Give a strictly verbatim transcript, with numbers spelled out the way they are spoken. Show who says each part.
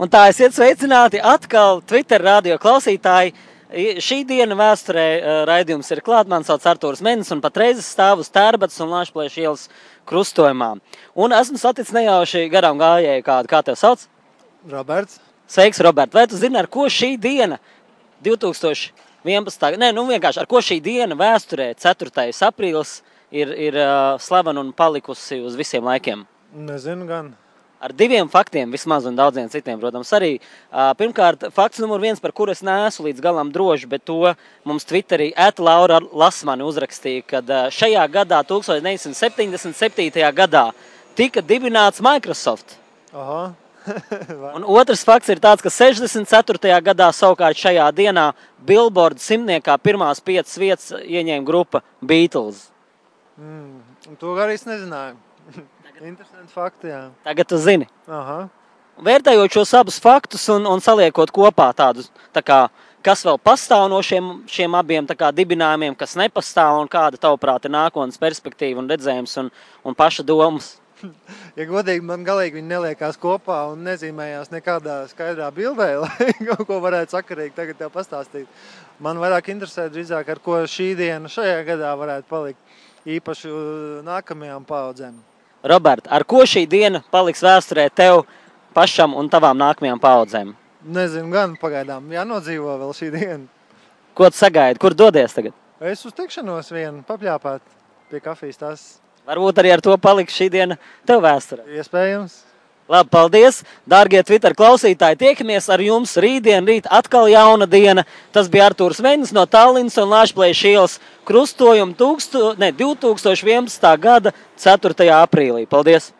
Speaker 1: Un tā esiet sveicināti atkal Twitter radio klausītāji. Šī diena vēsturē raidījums ir klāt. Man sauc Artūrs Menis un patreiz stāv uz Tērbatas un Lāčplēša ielas krustojumā. Un esmu saticis nejauši garām gājēju kādu. Kā tev sauc?
Speaker 2: Roberts.
Speaker 1: Sveiks, Robert. Vai tu zini, ar ko šī diena divi tūkstoši vienpadsmitā. Nē, nu vienkārši, ar ko šī diena vēsturē ceturtais aprīlis ir, ir uh, slavena un palikusi uz visiem laikiem?
Speaker 2: Nezinu gan.
Speaker 1: Ar diviem faktiem vismaz un daudziem citiem, protams, arī. Uh, pirmkārt, fakts numur viens, par kuru es neesmu līdz galam droši, bet to mums Twitterī ēt Laura Lasmani uzrakstīja, kad uh, šajā gadā, tuziņš deviņsimt septiņdesmit septītajā gadā, tika dibināts Microsoft.
Speaker 2: Aha.
Speaker 1: Un otrs fakts ir tāds, ka sešdesmit ceturtajā gadā savukārt šajā dienā Billboard simtniekā pirmās piecas vietas ieņēma grupa Beatles.
Speaker 2: Mm, to arī es nezināju. Interesanti fakti, jā.
Speaker 1: Tagad tu zini.
Speaker 2: Aha.
Speaker 1: Vērtējot šos abus faktus un, un saliekot kopā tādus, tā kā, kas vēl pastāv no šiem, šiem abiem tā kā dibinājumiem, kas nepastāv un kāda tavuprāt ir nākotnes perspektīva un redzējums un, un paša domas.
Speaker 2: Ja godīgi, man galīgi viņi neliekās kopā un nezīmējās nekādā skaidrā bildē, lai kaut ko varētu sakarīgi tagad tev pastāstīt. Man vairāk interesē drīzāk, ar ko šī diena šajā gadā varētu palikt īpaši nākamajām paudzēm.
Speaker 1: Robert, ar ko šī diena paliks vēsturē tev pašam un tavām nākamajām paudzēm?
Speaker 2: Nezinu gan, pagaidām jānodzīvo vēl šī diena.
Speaker 1: Ko tu sagaidi? Kur dodies tagad?
Speaker 2: Es uz tikšanos vienu papļāpāt pie kafijas tās.
Speaker 1: Varbūt arī ar to paliks šī diena tev vēsturē.
Speaker 2: Iespējams.
Speaker 1: Labi, paldies, dārgie Twitter klausītāji. Tiekamies ar jums rītdien, rīt atkal jauna diena. Tas bija Artūrs Menis no Tallinas un Lāčplēša ielas krustojuma divi tūkstoši vienpadsmitā gada ceturtajā aprīlī. Paldies!